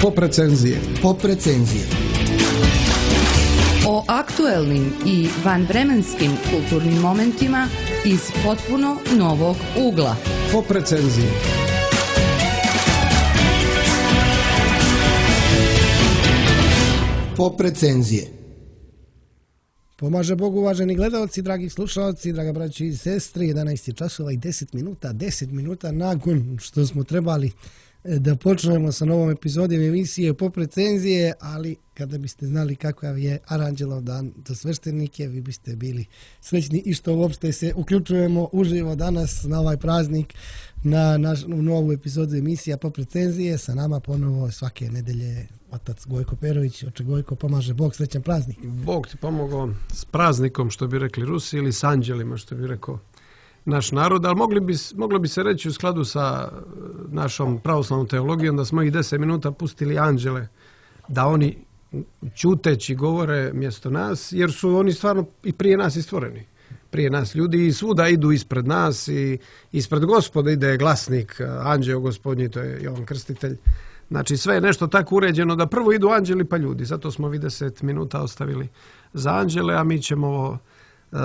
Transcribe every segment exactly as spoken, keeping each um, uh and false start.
Pop recenzije. Pop recenzije. O aktuelnim i vanvremenskim kulturnim momentima iz potpuno novog ugla. Pop recenzije. Pop recenzije. Pomaže Bogu, uvaženi gledalci, dragi slušalci, draga braći i sestre, jedanaest je časova i deset minuta, deset minuta nakon što smo trebali da počnemo sa novom epizodom emisije Pop recenzije, ali kada biste znali kakav je Aranđelov dan za sveštenike, vi biste bili srećni i što uopšte se uključujemo uživo danas na ovaj praznik na naš, u novu epizodu emisija Pop recenzije. Sa nama ponovo svake nedelje otac Gojko Perović. Oče Gojko, pomaže Bog, srećan praznik. Bog ti pomogao s praznikom, što bi rekli Rusi, ili s anđelima, što bi rekao naš narod, ali mogli bi, moglo bi se reći u skladu sa našom pravoslavnom teologijom da smo ih deset minuta pustili anđele, da oni ćuteći govore mjesto nas, jer su oni stvarno i prije nas i stvoreni. Prije nas ljudi i svuda idu ispred nas i ispred Gospoda ide glasnik, anđeo gospodnji, to je Jovan Krstitelj. Znači sve je nešto tako uređeno da prvo idu anđeli pa ljudi. Zato smo vi deset minuta ostavili za anđele, a mi ćemo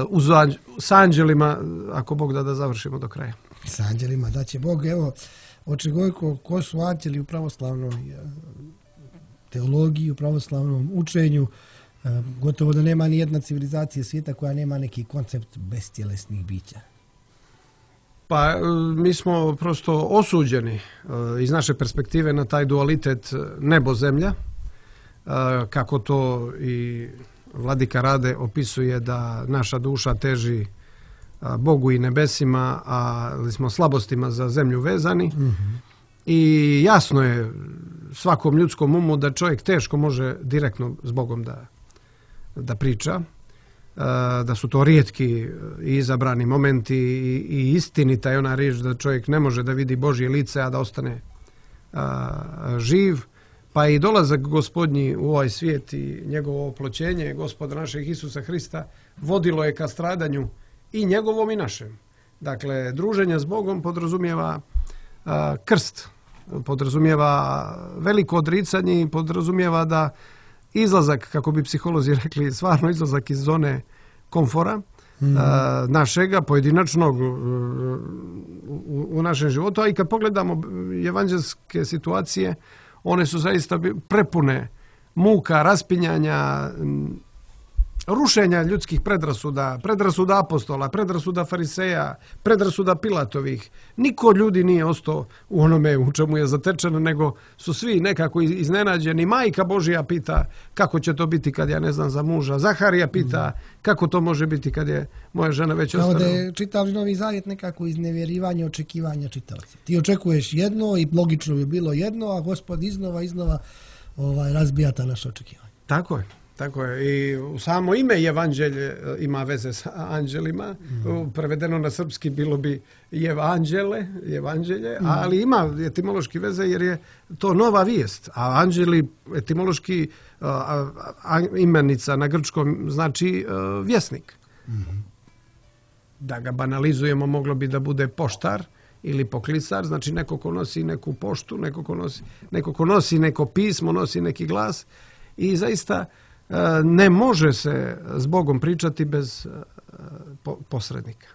uz anđ- s anđelima, ako Bog da, da završimo do kraja. S anđelima, da će Bog. Evo, oče Gojko, ko su anđeli u pravoslavnoj teologiji, u pravoslavnom učenju? Gotovo da nema ni jedna civilizacija svijeta koja nema neki koncept bestjelesnih bića. Pa mi smo prosto osuđeni iz naše perspektive na taj dualitet nebo-zemlja, kako to i Vladika Rade opisuje da naša duša teži Bogu i nebesima, ali smo slabostima za zemlju vezani. Mm-hmm. I jasno je svakom ljudskom umu da čovjek teško može direktno s Bogom da, da priča, da su to rijetki i izabrani momenti i, i istinita je ona riječ da čovjek ne može da vidi Božje lice, a da ostane a, živ. Pa i dolazak Gospodnji u ovaj svijet i njegovo oploćenje Gospoda našeg Isusa Hrista vodilo je ka stradanju i njegovom i našem. Dakle, druženje s Bogom podrazumijeva a, krst, podrazumijeva veliko odricanje i podrazumijeva da izlazak, kako bi psiholozi rekli, stvarno izlazak iz zone komfora mm. a, našega, pojedinačnog u, u našem životu. A i kad pogledamo evanđelske situacije, one su zaista prepune muka, raspinjanja, rušenja ljudskih predrasuda, predrasuda apostola, predrasuda fariseja, predrasuda Pilatovih. Niko od ljudi nije ostao u onome u čemu je zatečeno, nego su svi nekako iznenađeni. Majka Božja pita kako će to biti kad ja ne znam za muža. Zaharija pita kako to može biti kad je moja žena već ostala. Kao da je čitavši Novi Zavjet nekako iznevjerivanje očekivanja čitavca. Ti očekuješ jedno i logično bi bilo jedno, a Gospod iznova, iznova ovaj, razbija ta naša očekivanja. Tako je. Tako je. I samo ime evanđelje ima veze s anđelima. Mm. Prevedeno na srpski bilo bi evanđele, evanđelje, mm. ali ima etimološki veze jer je to nova vijest. A anđeli etimološki a, a, imenica na grčkom znači a, vjesnik. Mm. Da ga banalizujemo, moglo bi da bude poštar ili poklisar, znači neko ko nosi neku poštu, neko ko nosi, neko ko nosi neko pismo, nosi neki glas i zaista ne može se s Bogom pričati bez posrednika.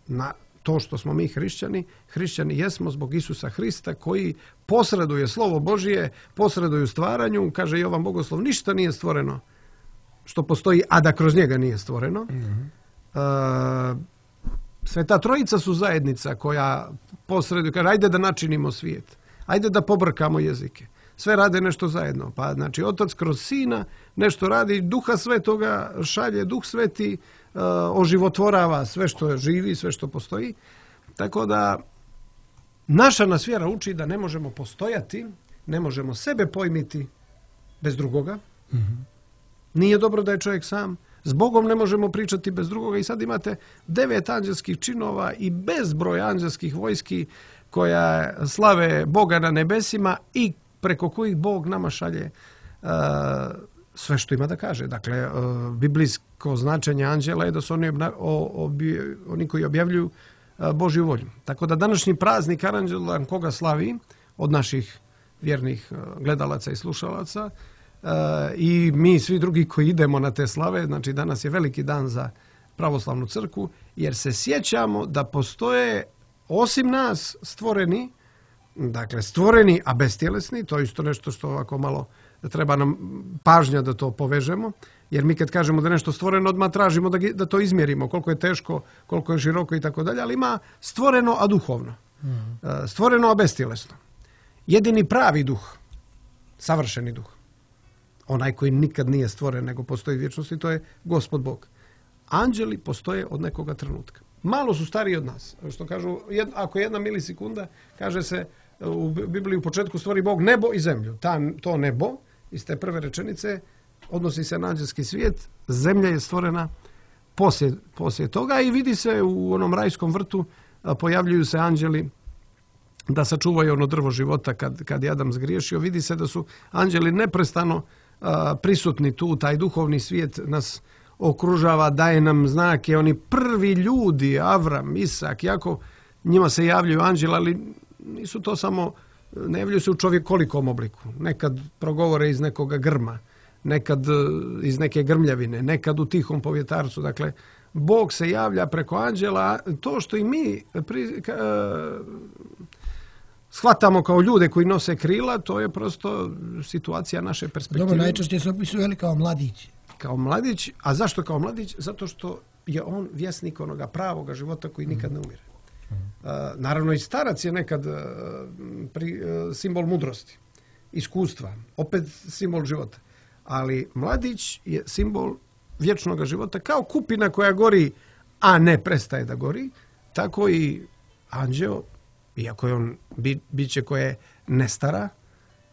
Na to što smo mi hrišćani, hrišćani jesmo zbog Isusa Hrista koji posreduje slovo Božije, posreduje u stvaranju, kaže Jovan Bogoslov, ništa nije stvoreno što postoji, a da kroz njega nije stvoreno. Mm-hmm. Sveta Trojica su zajednica koja posreduje, kaže ajde da načinimo svijet, ajde da pobrkamo jezike. Sve rade nešto zajedno. Pa znači Otac kroz Sina nešto radi, Duha Svetoga šalje, Duh Sveti uh, oživotvorava sve što živi, sve što postoji. Tako da naša nas vjera uči da ne možemo postojati, ne možemo sebe pojmiti bez drugoga. Mm-hmm. Nije dobro da je čovjek sam. S Bogom ne možemo pričati bez drugoga i sad imate devet anđelskih činova i bezbroj anđelskih vojski koja slave Boga na nebesima i preko kojih Bog nama šalje uh, sve što ima da kaže. Dakle, uh, biblijsko značenje anđela je da su oni, obna, o, obi, oni koji objavljuju uh, Božju volju. Tako da današnji praznik Aranđelodan koga slavi od naših vjernih gledalaca i slušalaca i mi svi drugi koji idemo na te slave. Znači danas je veliki dan za pravoslavnu crkvu jer se sjećamo da postoje osim nas stvoreni, dakle stvoreni a bestjelesni, to je isto nešto što ovako malo treba nam pažnja da to povežemo, jer mi kad kažemo da je nešto stvoreno odmah tražimo da, da to izmjerimo, koliko je teško, koliko je široko i tako dalje, ali ima stvoreno a duhovno, mm. stvoreno a bestjelesno. Jedini pravi duh, savršeni duh, onaj koji nikad nije stvoren nego postoji vječnosti, to je Gospod Bog. Anđeli postoje od nekoga trenutka. Malo su stariji od nas. Što kažu, ako jedna milisekunda, kaže se u Bibliji u početku stvori Bog nebo i zemlju. Ta, to nebo iz te prve rečenice odnosi se na anđelski svijet. Zemlja je stvorena poslije, poslije toga i vidi se u onom rajskom vrtu pojavljuju se anđeli da sačuvaju ono drvo života kad, kad je Adam zgriješio. Vidi se da su anđeli neprestano a, prisutni tu, taj duhovni svijet nas okružava, daje nam znake. Oni prvi ljudi, Avram, Isak, Jakov, njima se javljaju anđeli, ali nisu to samo, ne javljaju se u čovjekolikom obliku. Nekad progovore iz nekoga grma, nekad iz neke grmljavine, nekad u tihom povjetarcu. Dakle, Bog se javlja preko anđela. To što i mi pri, ka, shvatamo kao ljude koji nose krila, to je prosto situacija naše perspektive. Dobro, najčešće se opisuju kao mladići. Kao mladić, a zašto kao mladić? Zato što je on vjesnik onoga pravoga života koji nikad ne umire. Uh, naravno i starac je nekad uh, pri, uh, simbol mudrosti, iskustva, opet simbol života. Ali mladić je simbol vječnog života, kao kupina koja gori, a ne prestaje da gori, tako i anđeo, iako je on bi, biće koje ne stara,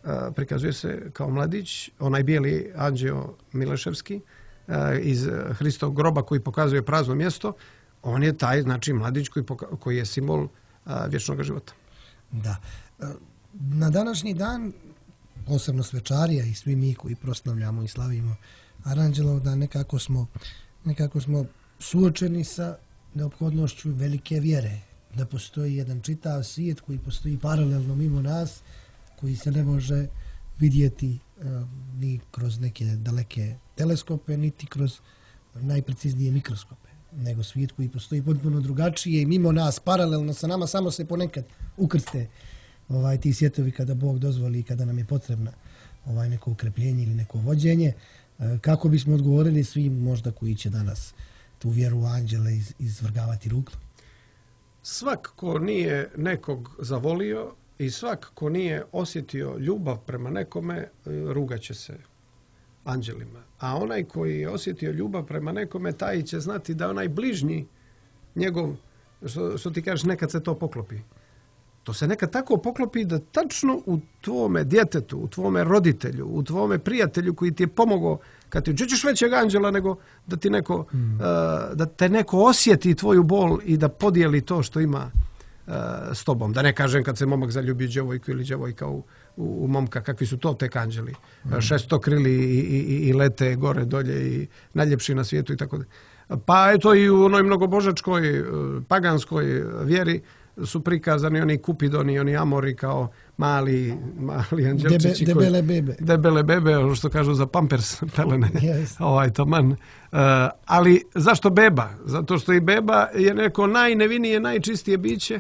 uh, prikazuje se kao mladić, onaj bijeli anđeo Mileševski uh, iz Hristovog groba koji pokazuje prazno mjesto. On je taj, znači, mladić koji, poka- koji je simbol a, vječnog života. Da. Na današnji dan, posebno svečarija i svi mi koji proslavljamo i slavimo Aranđelov, da nekako smo, nekako smo suočeni sa neophodnošću velike vjere. Da postoji jedan čitav svijet koji postoji paralelno mimo nas, koji se ne može vidjeti uh, ni kroz neke daleke teleskope, niti kroz najpreciznije mikroskope, nego svijet koji postoji potpuno drugačije i mimo nas, paralelno sa nama, samo se ponekad ukrste ovaj, ti svjetovi kada Bog dozvoli i kada nam je potrebno ovaj, neko ukrepljenje ili neko vođenje. Kako bismo odgovorili svim možda koji će danas tu vjeru u anđele iz, izvrgavati ruglu? Svak ko nije nekog zavolio i svak ko nije osjetio ljubav prema nekome, rugaće se anđelima. A onaj koji je osjetio ljubav prema nekome, taj će znati da onaj bližnji njegov, što, što ti kažeš, nekad se to poklopi. To se nekad tako poklopi da tačno u tvome djetetu, u tvome roditelju, u tvome prijatelju koji ti je pomogao, kad ti ćeš većeg anđela nego da ti neko, mm. uh, da te neko osjeti tvoju bol i da podijeli to što ima uh, s tobom. Da ne kažem kad se momak zaljubi djevojku ili djevojka u, u, u momka, kakvi su to tek anđeli. Mm. Šestokrili i, i, i lete gore dolje i najljepši na svijetu i tako da. Pa eto i u onoj mnogobožačkoj, paganskoj vjeri su prikazani oni kupidoni, oni amori kao mali, mali anđelčići. Debe, debele koji, bebe. Debele bebe, ono što kažu za pampers pelene. Yes. ovaj, taman. Uh, ali zašto beba? Zato što i beba je neko najnevinije, najčistije biće.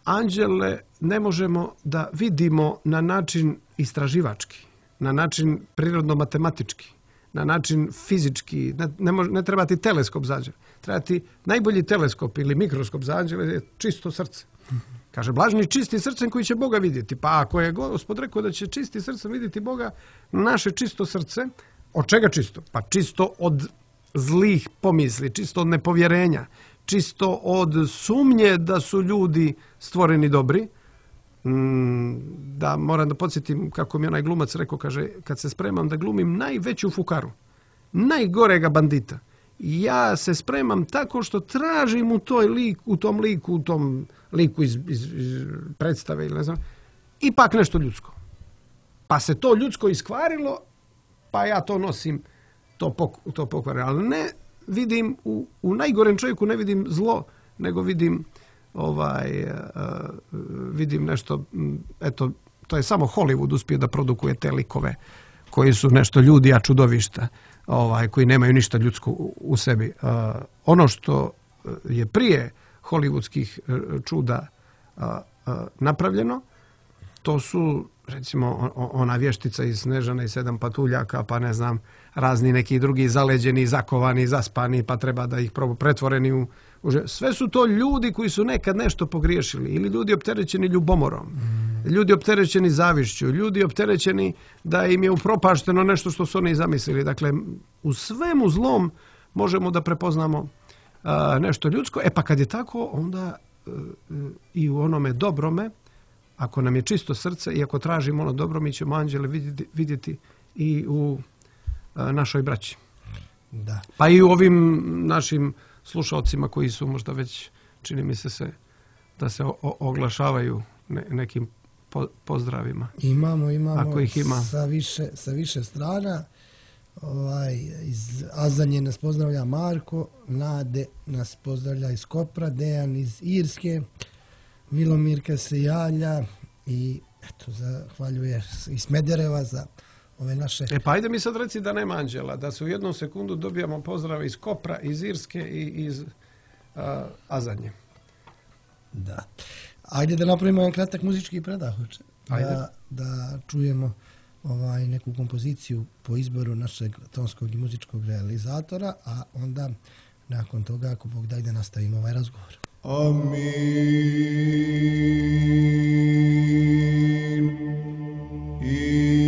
Anđele ne možemo da vidimo na način istraživački, na način prirodno-matematički, na način fizički. Ne, ne, može, ne treba ti teleskop za anđele. Treba ti najbolji teleskop ili mikroskop za anđele je čisto srce. Kaže, blažni čisti srcem koji će Boga vidjeti. Pa ako je Gospod rekao da će čisti srcem vidjeti Boga, naše čisto srce, od čega čisto? Pa čisto od zlih pomisli, čisto od nepovjerenja, čisto od sumnje da su ljudi stvoreni dobri. Da moram da podsjetim kako mi onaj glumac rekao, kaže, kad se spremam da glumim najveću fukaru, najgorega bandita, ja se spremam tako što tražim u toj lik, u tom liku, u tom liku iz, iz, iz predstave ili ne znam, ipak nešto ljudsko. Pa se to ljudsko iskvarilo, pa ja to nosim, to, pok, to pokvarilo. Ali ne vidim, u, u najgorem čovjeku ne vidim zlo, nego vidim ovaj, uh, vidim nešto, eto, to je samo Hollywood uspio da produkuje te likove koji su nešto ljudi, a čudovišta, ovaj, koji nemaju ništa ljudsko u, u sebi. Uh, ono što je prije hollywoodskih čuda uh, uh, napravljeno, to su recimo ona vještica iz Snežana i sedam patuljaka, pa ne znam, razni neki drugi zaleđeni, zakovani, zaspani, pa treba da ih pretvoreni u, u... Sve su to ljudi koji su nekad nešto pogriješili, ili ljudi opterećeni ljubomorom, mm. ljudi opterećeni zavišću, ljudi opterećeni da im je upropašteno nešto što su oni zamislili. Dakle, u svemu zlom možemo da prepoznamo a, nešto ljudsko. E pa kad je tako, onda a, i u onome dobrome, ako nam je čisto srce i ako tražimo ono dobro, mi ćemo anđele vidjeti, vidjeti i u a, našoj braći. Da. Pa i u ovim našim slušalcima koji su možda već, čini mi se, se da se o, oglašavaju ne, nekim po, pozdravima. Imamo, imamo ako ih ima. Sa, više, sa više strana. Ovaj, iz Azanje nas pozdravlja Marko, Nade nas pozdravlja iz Kopra, Dejan iz Irske, Milomirka se javlja i eto, zahvaljuje iz Smedereva za ove naše... E pa ajde mi sad reci da nema anđela, da se u jednom sekundu dobijamo pozdrave iz Kopra, iz Irske i iz uh, Azanje. Da. Ajde da napravimo jedan kratak muzički predah. Da, da čujemo ovaj, neku kompoziciju po izboru našeg tonskog i muzičkog realizatora, a onda nakon toga, ako Bog da, da nastavimo ovaj razgovor. Amin. I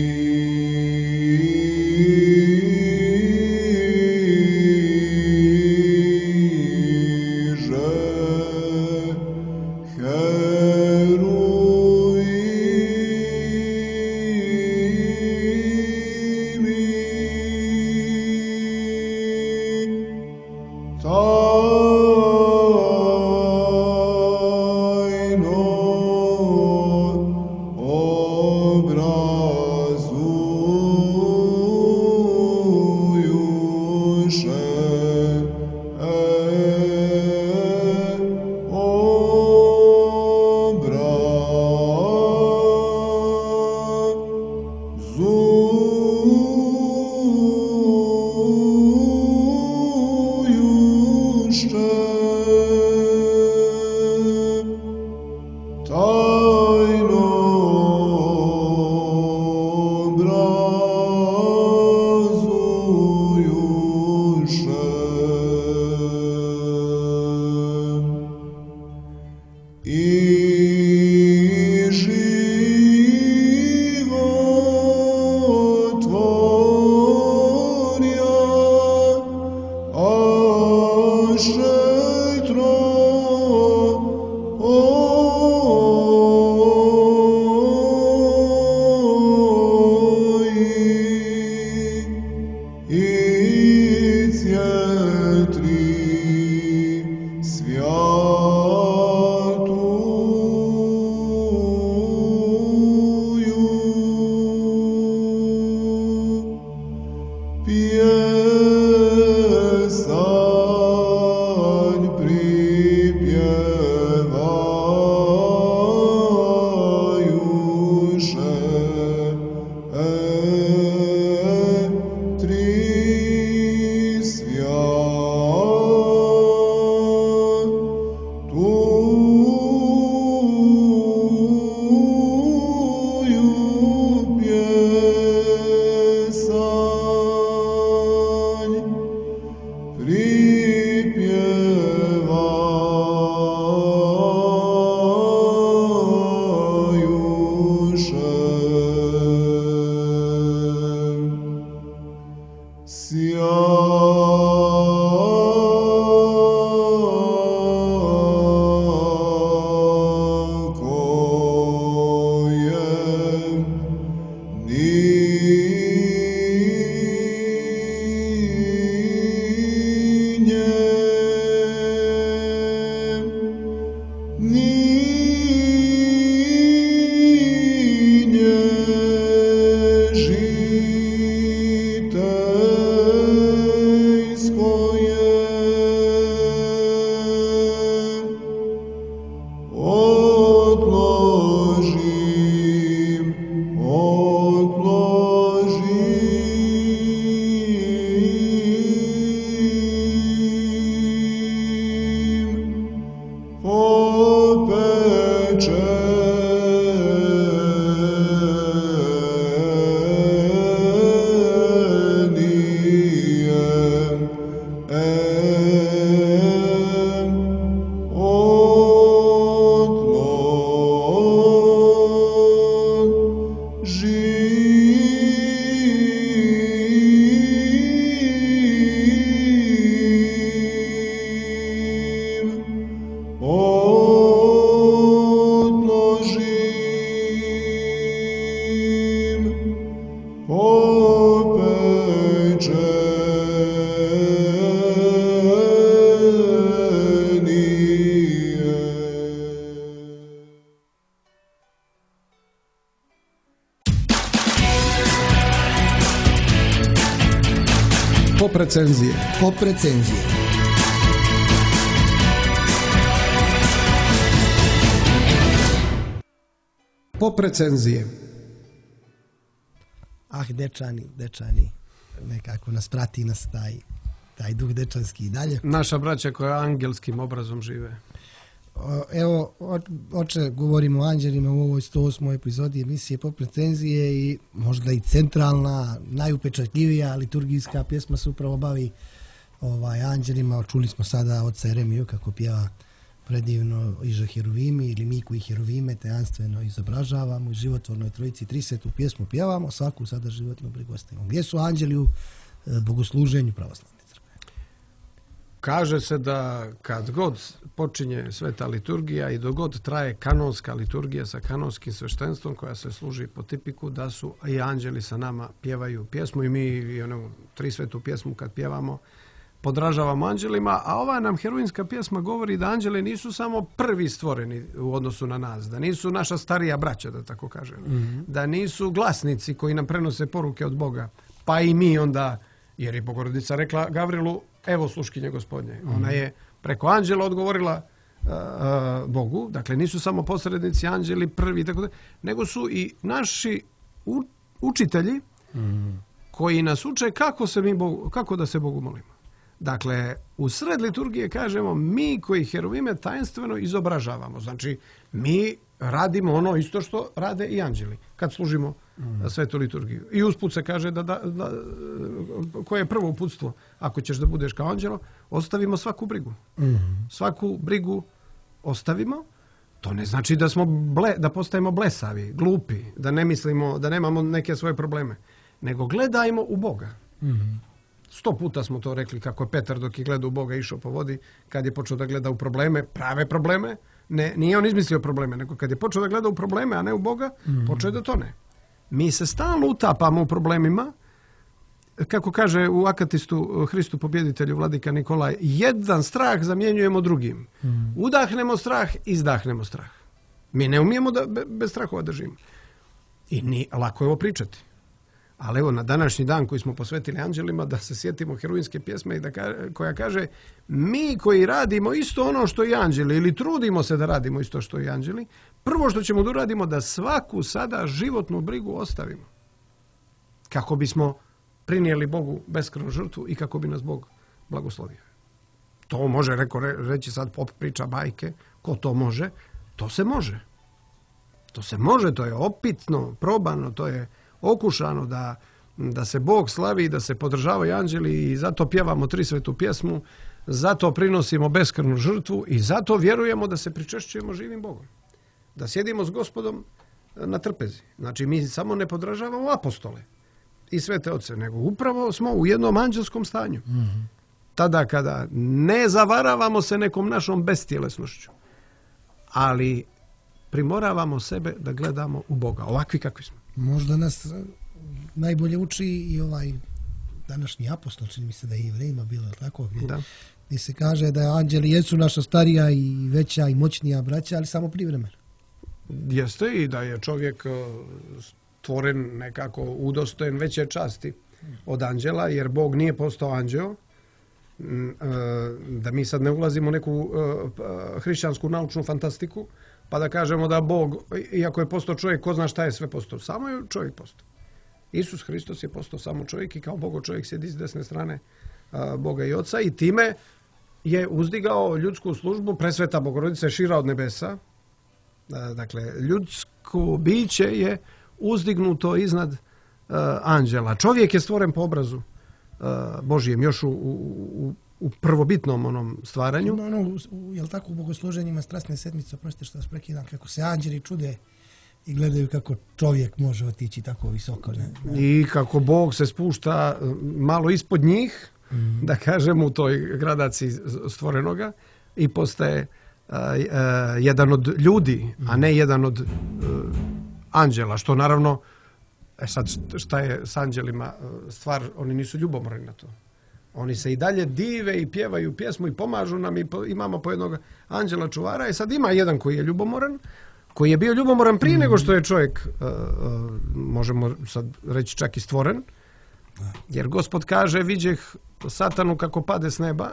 odložim Pop recenzije. Pop recenzije. Pop recenzije. Ah, dečani, dečani, nekako nas prati nas taj, taj duh dečanski i dalje. Naša braća koja angelskim obrazom žive. O, Evo, o- oče, govorimo o anđelima u ovoj sto osmoj epizodi emisije Pop recenzije i možda i centralna, najupečatljivija liturgijska pjesma se upravo bavi ovaj, anđelima. Čuli smo sada oca Jeremiju kako pjeva predivno Iže Heruvimi ili mi koji Heruvime tajanstveno izobražavamo i životvornoj trojici trisetu pjesmu pjevamo, svaku sada životnu brigu ostavimo. Gdje su anđeli u e, bogosluženju pravoslavne crkve? Kaže se da kad god počinje sveta liturgija i dok god traje kanonska liturgija sa kanonskim sveštenstvom koja se služi po tipiku, da su i anđeli sa nama pjevaju pjesmu i mi i onu tri svetu pjesmu kad pjevamo podražavamo anđelima, a ova nam heruvimska pjesma govori da anđeli nisu samo prvi stvoreni u odnosu na nas, da nisu naša starija braća, da tako kažem, mm-hmm. da nisu glasnici koji nam prenose poruke od Boga, pa i mi onda, jer je Bogorodica rekla Gavrilu, evo sluškinje gospodnje. Mm-hmm. Ona je preko anđela odgovorila uh, uh, Bogu, dakle nisu samo posrednici anđeli prvi, tako da, nego su i naši u, učitelji mm-hmm. koji nas uče kako, se mi Bogu, kako da se Bogu molimo. Dakle, u sred liturgije kažemo mi koji heruvime tajanstveno izobražavamo. Znači, mi radimo ono isto što rade i anđeli kad služimo mm. svetu liturgiju. I usput se kaže da, da, da koje je prvo uputstvo, ako ćeš da budeš kao anđelo, ostavimo svaku brigu. Mm. Svaku brigu ostavimo. To ne znači da smo ble, da postajemo blesavi, glupi, da ne mislimo, da nemamo neke svoje probleme, nego gledajmo u Boga. Mm. Sto puta smo to rekli kako je Petar dok je gledao u Boga išao po vodi, kad je počeo da gleda u probleme, prave probleme, ne, nije on izmislio probleme, nego kad je počeo da gleda u probleme, a ne u Boga, mm. počeo je da tone. Mi se stalno utapamo u problemima, kako kaže u Akatistu Hristu pobjeditelju vladika Nikolaj, jedan strah zamjenjujemo drugim. Mm. Udahnemo strah, izdahnemo strah. Mi ne umijemo da bez strahova držimo. I ni, lako je ovo pričati. Ali evo, na današnji dan koji smo posvetili anđelima, da se sjetimo heruvimske pjesme i da ka, koja kaže mi koji radimo isto ono što i anđeli ili trudimo se da radimo isto što i anđeli, prvo što ćemo da uradimo da svaku sada životnu brigu ostavimo. Kako bismo prinijeli Bogu beskrvnu žrtvu i kako bi nas Bog blagoslovio. To može, reko, re, reći sad pop priča bajke, ko to može? To se može. To se može, to je opitno, probano, to je okušano da, da se Bog slavi, da se podržavaju anđeli i zato pjevamo tri svetu pjesmu, zato prinosimo beskrvnu žrtvu i zato vjerujemo da se pričešćujemo živim Bogom. Da sjedimo s Gospodom na trpezi. Znači mi samo ne podržavamo apostole i svete oce, nego upravo smo u jednom anđelskom stanju. Mm-hmm. Tada kada ne zavaravamo se nekom našom bestjelesnošću, ali primoravamo sebe da gledamo u Boga, ovakvi kakvi smo. Možda nas najbolje uči i ovaj današnji apostol, čini mi se da je i Jevrejima bilo tako, gdje, da. gdje se kaže da anđeli jesu naša starija i veća i moćnija braća, ali samo privremeno. Jeste i da je čovjek stvoren nekako udostojen veće časti od anđela, jer Bog nije postao anđeo. Da mi sad ne ulazimo u neku hrišćansku naučnu fantastiku, pa da kažemo da Bog, iako je postao čovjek, ko zna šta je sve postao. Samo je čovjek postao. Isus Hristos je postao samo čovjek i kao Bogo čovjek sjedi s desne strane a, Boga i Oca i time je uzdigao ljudsku službu. Presveta Bogorodica je šira od nebesa Dakle, ljudsko biće je uzdignuto iznad uh, anđela. Čovjek je stvoren po obrazu uh, Božijem, još u, u, u prvobitnom onom stvaranju. No, no, u, jel tako, u bogosluženjima strasne sedmice, oprostite što vas prekidam, kako se anđeli čude i gledaju kako čovjek može otići tako visoko. Ne? Ne? I kako Bog se spušta malo ispod njih, mm. da kažem, u toj gradaciji stvorenoga i postaje uh, uh, jedan od ljudi, mm. a ne jedan od uh, anđela, što naravno, e sad šta je s anđelima stvar, oni nisu ljubomorni na to. Oni se i dalje dive i pjevaju pjesmu i pomažu nam i po, imamo po jednog anđela čuvara i sad ima jedan koji je ljubomoran, koji je bio ljubomoran prije mm. nego što je čovjek, uh, uh, možemo sad reći čak i stvoren, jer Gospod kaže, viđeh satanu kako pade s neba,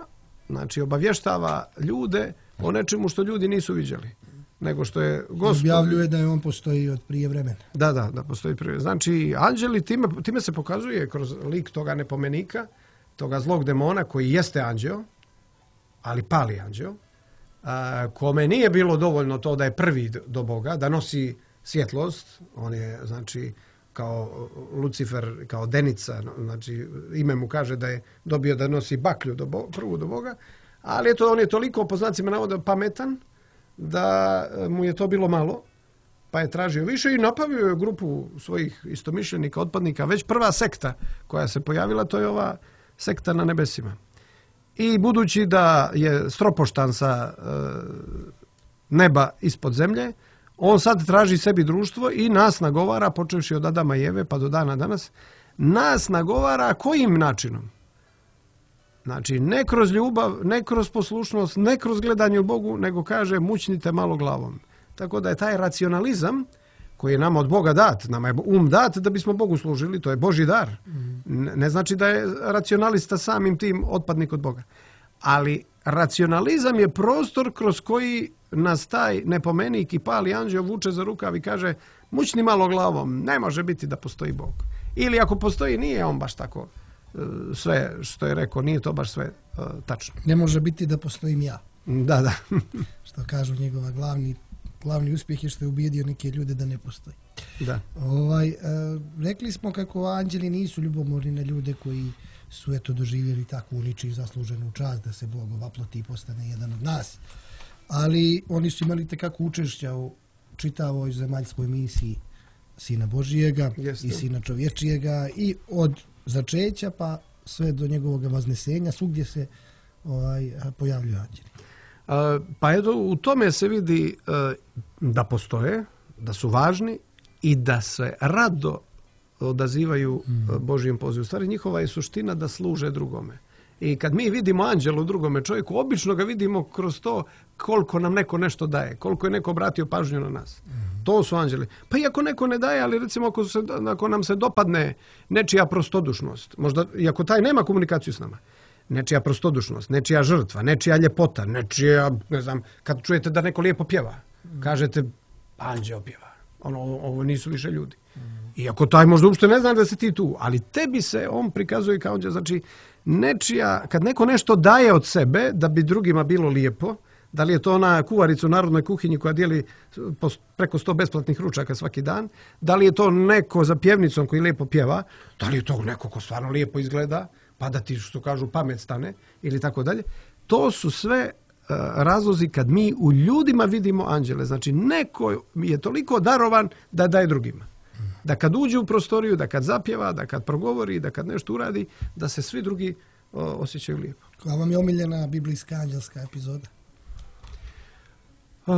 znači obavještava ljude o nečemu što ljudi nisu viđali, nego što je Gospod... Objavljuje da je on postoji od prije vremena. Da, da, da postoji prije. Znači, anđeli, time, time se pokazuje kroz lik toga nepomenika, toga zlog demona koji jeste anđeo, ali pali anđeo, a, kome nije bilo dovoljno to da je prvi do Boga, da nosi svjetlost, on je, znači, kao Lucifer, kao Denica, znači, ime mu kaže da je dobio da nosi baklju do Boga, prvu do Boga, ali eto, on je toliko, po znacima navoda, pametan, da mu je to bilo malo, pa je tražio više i napravio je grupu svojih istomišljenika, otpadnika. Već prva sekta koja se pojavila, to je ova sekta na nebesima. I budući da je stropoštan sa e, neba ispod zemlje, on sad traži sebi društvo i nas nagovara, počevši od Adama i Eve pa do dana danas, nas nagovara kojim načinom? Znači, ne kroz ljubav, ne kroz poslušnost, ne kroz gledanje u Bogu, nego kaže mućnite malo glavom. Tako da je taj racionalizam koji je nama od Boga dat, nama je um dat da bismo Bogu služili, to je Božji dar. Ne, ne znači da je racionalista samim tim otpadnik od Boga. Ali racionalizam je prostor kroz koji nas taj nepomenik i pali anđeo vuče za rukav i kaže mućni malo glavom, ne može biti da postoji Bog. Ili ako postoji, nije on baš tako sve što je rekao, nije to baš sve uh, tačno. Ne može biti da postojim ja. Da, da. Što kažu njegova glavni, glavni uspjeh je što je ubijedio neke ljude da ne postoji. Da. Ovaj, uh, rekli smo kako anđeli nisu ljubomorni na ljude koji su eto doživjeli takvu ničiju zasluženu čast da se Bog ovaploti i postane jedan od nas. Ali oni su imali tekako učešća u čitavoj zemaljskoj misiji Sina Božijega Jeste. I Sina čovječijega i od začeća pa sve do njegovog vaznesenja, svugdje se ovaj, pojavljuju anđeli. A, pa eto, u tome se vidi a, da postoje, da su važni i da se rado odazivaju mm. Božijem pozivu. U stvari, njihova je suština da služe drugome. I kad mi vidimo anđela u drugome čovjeku, obično ga vidimo kroz to koliko nam neko nešto daje, koliko je neko obratio pažnju na nas. Mm. To su anđeli. Pa i ako neko ne daje, ali recimo ako, se, ako nam se dopadne nečija prostodušnost, možda i ako taj nema komunikaciju s nama, nečija prostodušnost, nečija žrtva, nečija ljepota, nečija, ne znam, kad čujete da neko lijepo pjeva, mm. kažete anđeo pjeva. Ono, ovo nisu više ljudi. Mm. Iako taj možda uopšte ne zna da si ti tu, ali tebi se on prikazuje kao anđeo. Znači, nečija, kad neko nešto daje od sebe da bi drugima bilo lijepo, da li je to ona kuvarica u narodnoj kuhinji koja dijeli preko sto besplatnih ručaka svaki dan, da li je to neko za pjevnicom koji lijepo pjeva, da li je to neko ko stvarno lijepo izgleda, pa da ti, što kažu, pamet stane ili tako dalje. To su sve uh, razlozi kad mi u ljudima vidimo anđele. Znači, neko je toliko darovan da daje drugima. Da kad uđe u prostoriju, da kad zapjeva, da kad progovori, da kad nešto uradi, da se svi drugi o, osjećaju lijepo. Koja vam je omiljena biblijska anđelska epizoda? Uh,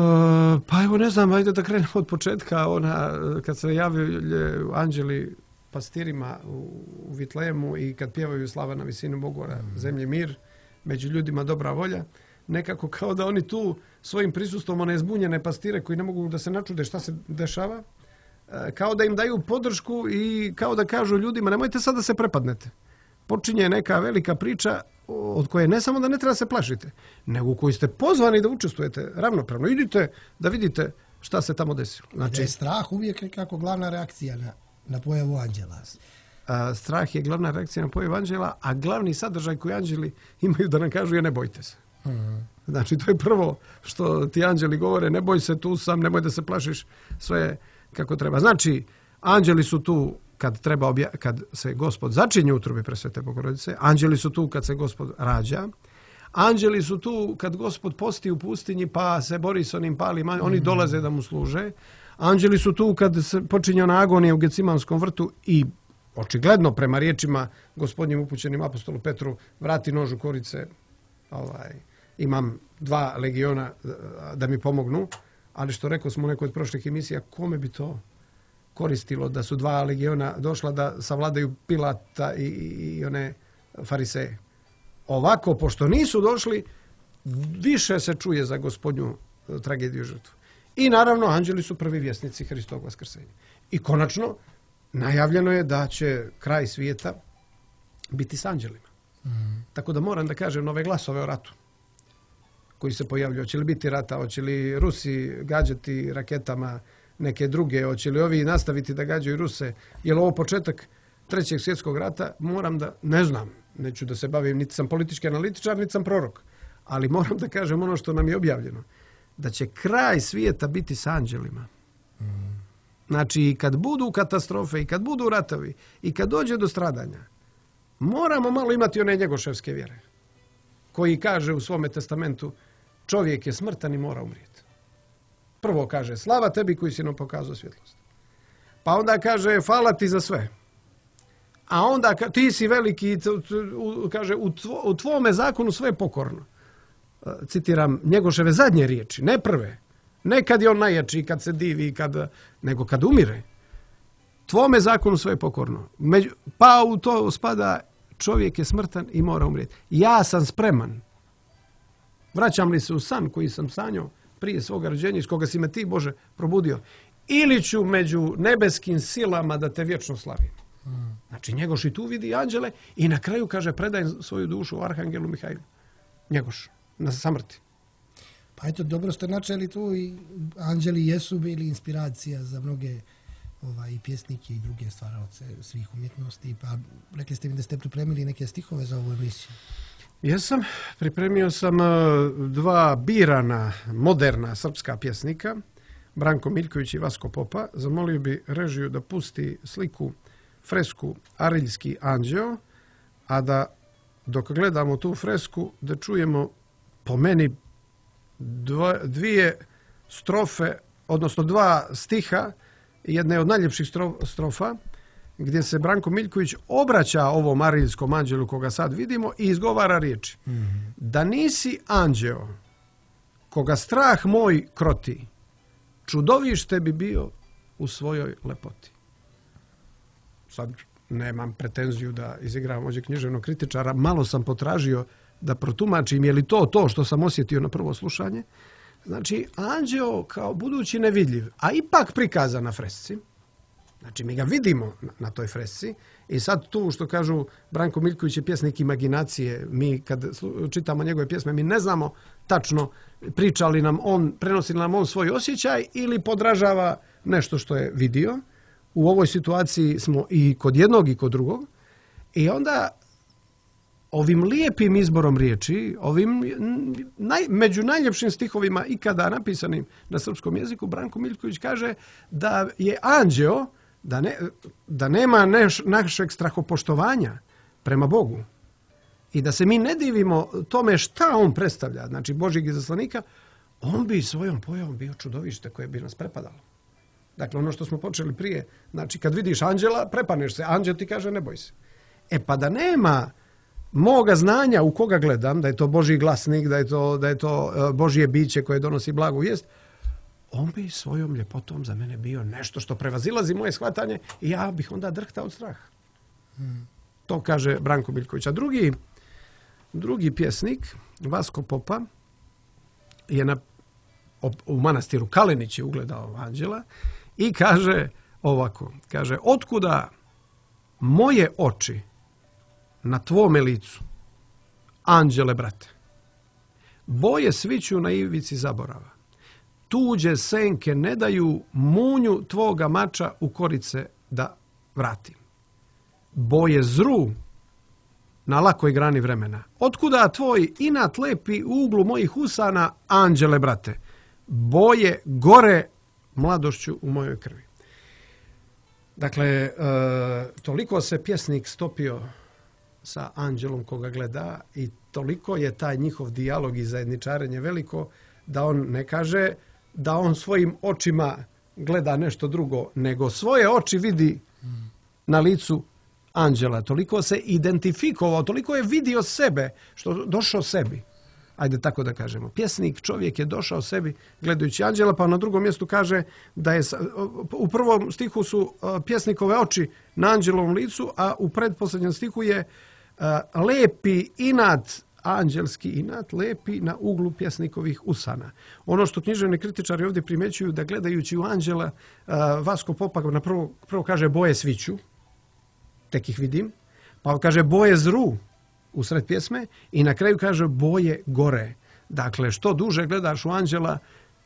pa evo ne znam, ajde da krenemo od početka. Ona, kad se javljaju anđeli pastirima u, u Vitlejemu i kad pjevaju slava na visinu Bogu, mm. zemlji mir, među ljudima dobra volja, nekako kao da oni tu svojim prisustvom one zbunjene pastire koji ne mogu da se načude šta se dešava, kao da im daju podršku i kao da kažu ljudima nemojte sad da se prepadnete. Počinje neka velika priča od koje ne samo da ne treba se plašite, nego u kojoj ste pozvani da učestvujete ravnopravno. Idite da vidite šta se tamo desilo. Znači, je strah uvijek nekako glavna reakcija na, na pojavu anđela. A, strah je glavna reakcija na pojavu anđela, a glavni sadržaj koji anđeli imaju da nam kažu je ne bojte se. Znači, to je prvo što ti anđeli govore, ne boj se, tu sam, nemoj da se plašiš, sve kako treba. Znači, anđeli su tu kad treba obja- kad se Gospod začinje u utrobi Presvete Bogorodice, anđeli su tu kad se Gospod rađa, anđeli su tu kad Gospod posti u pustinji pa se bori s onim palima, oni dolaze da mu služe. Anđeli su tu kad se počinje ona agonija u Gecimanskom vrtu i očigledno prema riječima Gospodnjim upućenim apostolu Petru, vrati nož u korice, ovaj, imam dva legiona da mi pomognu, ali što rekao smo u nekoj od prošlih emisija, kome bi to koristilo da su dva legiona došla da savladaju Pilata i, i, i one fariseje. Ovako, pošto nisu došli, više se čuje za Gospodnju tragediju i žrtvu. I naravno, anđeli su prvi vjesnici Hristovog vaskrsenja. I konačno, najavljeno je da će kraj svijeta biti s anđelima. Mm. Tako da moram da kažem nove glasove o ratu koji se pojavljuju. Hoće li biti rata, hoće li Rusi gađati raketama neke druge, hoće li ovi nastaviti da gađaju Ruse, je li ovo početak trećeg svjetskog rata, moram da, ne znam, neću da se bavim, niti sam politički analitičar, niti sam prorok, ali moram da kažem ono što nam je objavljeno, da će kraj svijeta biti s anđelima. Mm. Znači, i kad budu katastrofe, i kad budu ratovi, i kad dođe do stradanja, moramo malo imati one njegoševske vjere, koji kaže u svome testamentu, čovjek je smrtan i mora umrijeti. Prvo kaže, slava tebi koji si nam pokazao svjetlost. Pa onda kaže, hvala ti za sve. A onda ti si veliki, kaže, u, tvo, u tvome zakonu sve je pokorno. Citiram Njegoševe zadnje riječi, ne prve. Ne kad je on najjači, kad se divi, kad, nego kad umire. Tvome zakonu sve je pokorno. Među, pa u to spada čovjek je smrtan i mora umrijeti. Ja sam spreman. Vraćam li se u san koji sam sanjao prije svoga rođenja, iz koga si me ti, Bože, probudio, ili ću među nebeskim silama da te vječno slavim. Znači, Njegoš i tu vidi anđele i na kraju kaže, predaj svoju dušu Arhangelu Mihajlu. Njegoš, na samrti. Pa eto, dobro ste načeli tu i anđeli jesu bili inspiracija za mnoge ovaj, pjesnike i druge stvaraoce svih umjetnosti. Pa rekli ste mi da ste pripremili neke stihove za ovu emisiju. Jesam. Pripremio sam dva birana, moderna srpska pjesnika, Branko Miljković i Vasko Popa. Zamolio bi režiju da pusti sliku, fresku Ariljski anđeo, a da dok gledamo tu fresku, da čujemo po meni dva, dvije strofe, odnosno dva stiha, jedna od najljepših strofa, gdje se Branko Miljković obraća ovom ariljskom anđelu koga sad vidimo i izgovara riječi. Mm-hmm. Da nisi anđeo koga strah moj kroti, čudovište bi bio u svojoj lepoti. Sad nemam pretenziju da izigram ovdje književnog kritičara, malo sam potražio da protumačim je li to to što sam osjetio na prvo slušanje. Znači, anđeo kao budući nevidljiv, a ipak prikazan na fresci. Znači, mi ga vidimo na, na toj fresci i sad tu što kažu Branko Miljković je pjesnik imaginacije. Mi kad čitamo njegove pjesme, mi ne znamo tačno priča li nam on, prenosi li nam on svoj osjećaj ili podražava nešto što je vidio. U ovoj situaciji smo i kod jednog i kod drugog. I onda ovim lijepim izborom riječi, ovim naj, među najljepšim stihovima ikada napisanim na srpskom jeziku, Branko Miljković kaže da je anđeo, da, ne, da nema neš, našeg strahopoštovanja prema Bogu i da se mi ne divimo tome šta on predstavlja, znači Božjeg izaslanika, on bi svojom pojavom bio čudovište koje bi nas prepadalo. Dakle, ono što smo počeli prije, znači kad vidiš anđela, prepaneš se, anđel ti kaže ne boj se. E pa da nema moga znanja u koga gledam, da je to Božji glasnik, da je to, da je to Božje biće koje donosi blagu vijest, on bi svojom ljepotom za mene bio nešto što prevazilazi moje shvatanje i ja bih onda drhtao od straha. Hmm. To kaže Branko Miljković. A drugi, drugi pjesnik, Vasko Popa, je na, u manastiru Kalenić je ugledao anđela i kaže ovako, kaže, otkuda moje oči na tvome licu, anđele brate, boje sviću na ivici zaborava, tuđe senke ne daju munju tvoga mača u korice da vratim. Boje zru na lakoj grani vremena. Otkuda tvoj inat lepi u uglu mojih usana, anđele, brate? Boje gore mladošću u mojoj krvi. Dakle, e, toliko se pjesnik stopio sa anđelom koga gleda i toliko je taj njihov dijalog i zajedničarenje veliko da on ne kaže da on svojim očima gleda nešto drugo, nego svoje oči vidi na licu anđela. Toliko se identifikovao, toliko je vidio sebe, što došao sebi. Ajde tako da kažemo. Pjesnik, čovjek je došao sebi gledajući anđela, pa na drugom mjestu kaže da je, u prvom stihu su pjesnikove oči na anđelovom licu, a u predposljednjem stihu je lepi inat, anđelski inat, lepi na uglu pjesnikovih usana. Ono što književni kritičari ovdje primjećuju, da gledajući u anđela, Vasko Popak na prvo, prvo kaže boje sviću, tek ih vidim, pa kaže boje zru u sred pjesme i na kraju kaže boje gore. Dakle, što duže gledaš u anđela,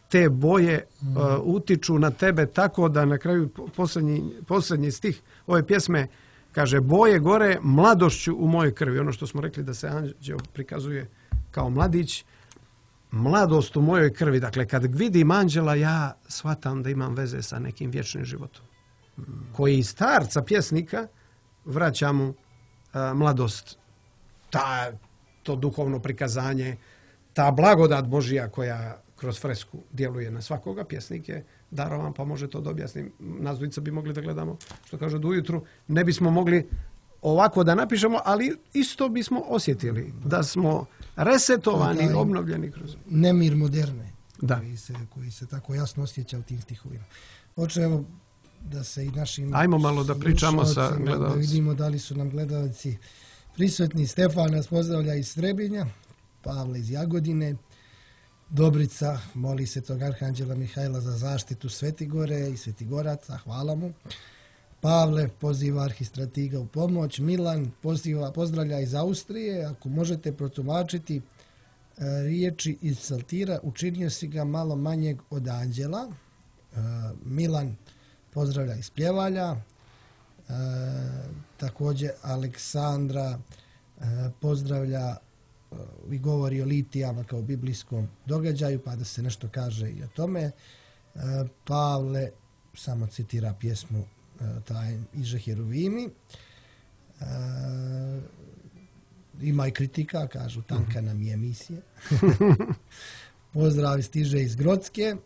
te boje mm. uh, utiču na tebe tako da na kraju posljednji, posljednji stih ove pjesme kaže boje gore mladošću u mojoj krvi. Ono što smo rekli da se anđeo prikazuje kao mladić, mladost u mojoj krvi. Dakle, kad vidim anđela, ja shvatam da imam veze sa nekim vječnim životom. Mm. Koji iz starca pjesnika vraća mu uh, mladost. Ta, to duhovno prikazanje, ta blagodat Božja koja kroz fresku djeluje na svakoga, pjesnik je darovan, pa može to da objasnim. Nas dvojica bi mogli da gledamo, što kažu, do ujutru. Ne bismo mogli ovako da napišemo, ali isto bismo osjetili da smo resetovani, da, obnovljeni kroz... Nemir moderne, da. Koji, se, koji se tako jasno osjeća u tim stihovima. Hoće, evo, da se i našim... Ajmo malo da pričamo sa gledalcima. Da vidimo da li su nam gledalci prisutni. Stefan nas pozdravlja iz Srebinja, Pavle iz Jagodine, Dobrica moli se tog arhanđela Mihajla za zaštitu Svetigore i Svetigoraca, hvala mu. Pavle poziva arhistratiga u pomoć. Milan poziva, pozdravlja iz Austrije, ako možete protumačiti e, riječi iz psaltira, učinio si ga malo manjeg od anđela. E, Milan pozdravlja iz Pljevalja. E, također Aleksandra e, pozdravlja e, i govori o litijama kao biblijskom događaju, pa da se nešto kaže i o tome. E, Pavle samo citira pjesmu e, taj Iže Heruvimi. E, ima i kritika, kažu tanka nam je emisija. Pozdrav stiže iz Grodske.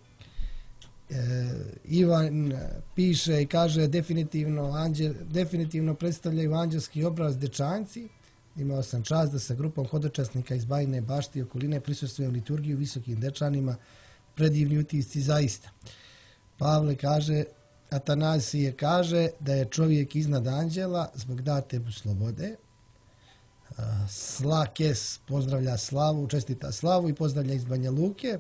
E, Ivan piše i kaže definitivno, anđel, definitivno predstavljaju anđelski obraz dečanci. Imao sam čast da sa grupom hodočasnika iz Bajine Bašti i okoline prisustvujem liturgiju visokim dečanima, predivni utisci zaista. Pavle kaže, Atanasije kaže da je čovjek iznad anđela zbog date mu slobode. Slakes pozdravlja Slavu, čestita Slavu i pozdravlja iz Banja Luke.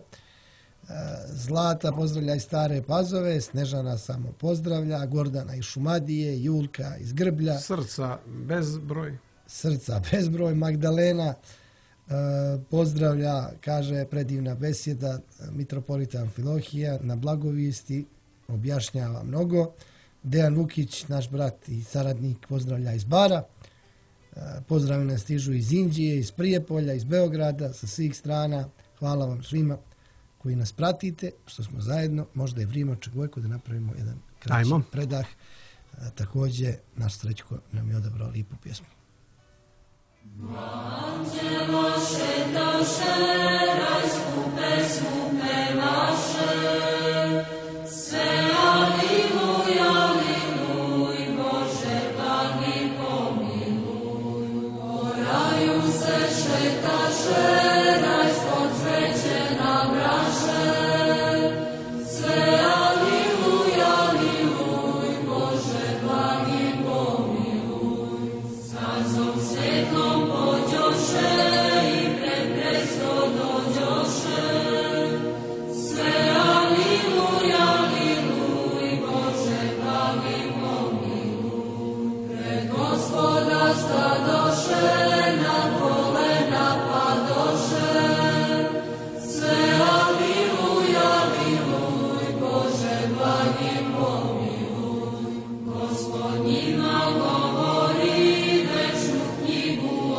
Zlata pozdravlja iz Stare Pazove, Snežana samo pozdravlja, Gordana iz Šumadije, Julka iz Grblja. Srca bezbroj. Srca bezbroj. Magdalena e, pozdravlja, kaže predivna besjeda, mitropolita Amfilohija na blagovijesti, objašnjava mnogo. Dejan Vukić, naš brat i saradnik, pozdravlja iz Bara. E, pozdravi nas stižu iz Inđije, iz Prijepolja, iz Beograda, sa svih strana. Hvala vam svima koji nas pratite, što smo zajedno. Možda je vrijeme očekujemo da napravimo jedan kraći Ajmo. predah. E, također, naš Srećko nam je odabrao lijepu pjesmu. Anđelo šetaše, raj skupe, skupe naše, sve aliluj, aliluj, Bože blagi pomiluj. O raju se šetaše, raj spod cveće nabraše, sve aliluj, aliluj, Bože blagi pomiluj. Sazom svjetlom pođoše i pred presto dođoše, sve aliluj, aliluj, Bože blagi pomiluj. Pred Gospoda stadoše, na kolena padoše, sve aliluj, aliluj, Bože blagi pomiluj. Gospod njima govori, večnu knjigu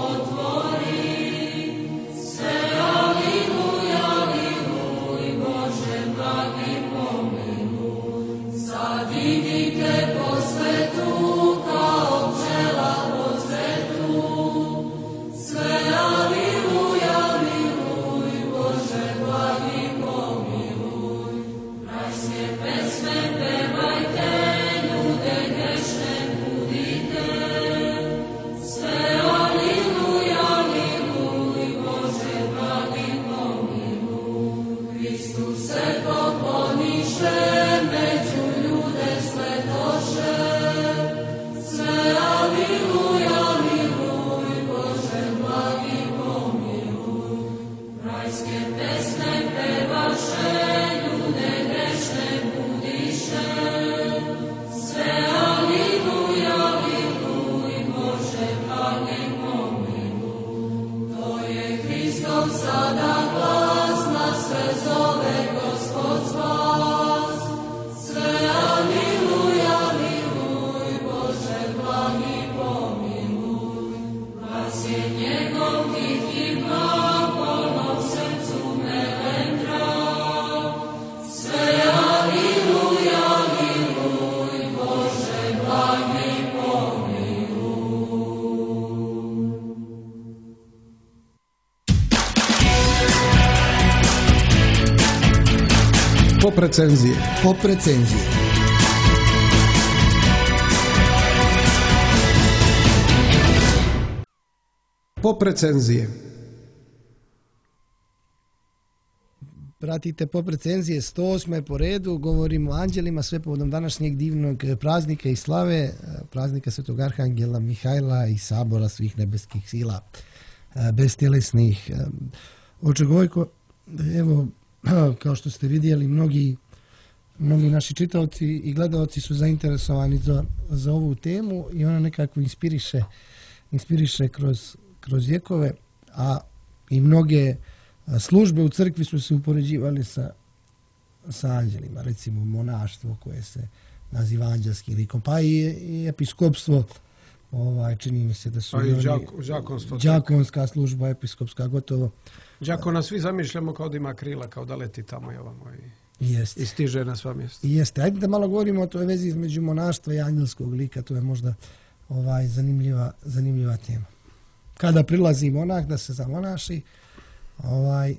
recenzije. Pop recenzije. Pop recenzije. Pratite Pop recenzije sto osme po redu, govorimo o anđelima, sve povodom današnjeg divnog praznika i slave, praznika Svetog Arhangela Mihajla i sabora svih nebeskih sila, bestjelesnih. Oče Gojko, evo, kao što ste vidjeli, mnogi, mnogi naši čitaoci i gledaoci su zainteresovani za, za ovu temu i ona nekako inspiriše, inspiriše kroz, kroz vjekove, a i mnoge službe u crkvi su se upoređivali sa, sa anđelima, recimo monaštvo koje se naziva anđelskim likom, pa i, i episkopstvo, ovaj, čini mi se da su Pa i oni, đak- đakonstvo. đakonska služba, episkopska, gotovo. Đakona svi zamišljamo kao da ima krila, kao da leti tamo i ovamo i, Jeste. i stiže na sva mjesta. Jeste. Ajde da malo govorimo o toj vezi između monaštva i angelskog lika, to je možda ovaj, zanimljiva, zanimljiva tema. Kada prilazi monah da se zamonaši, ovaj,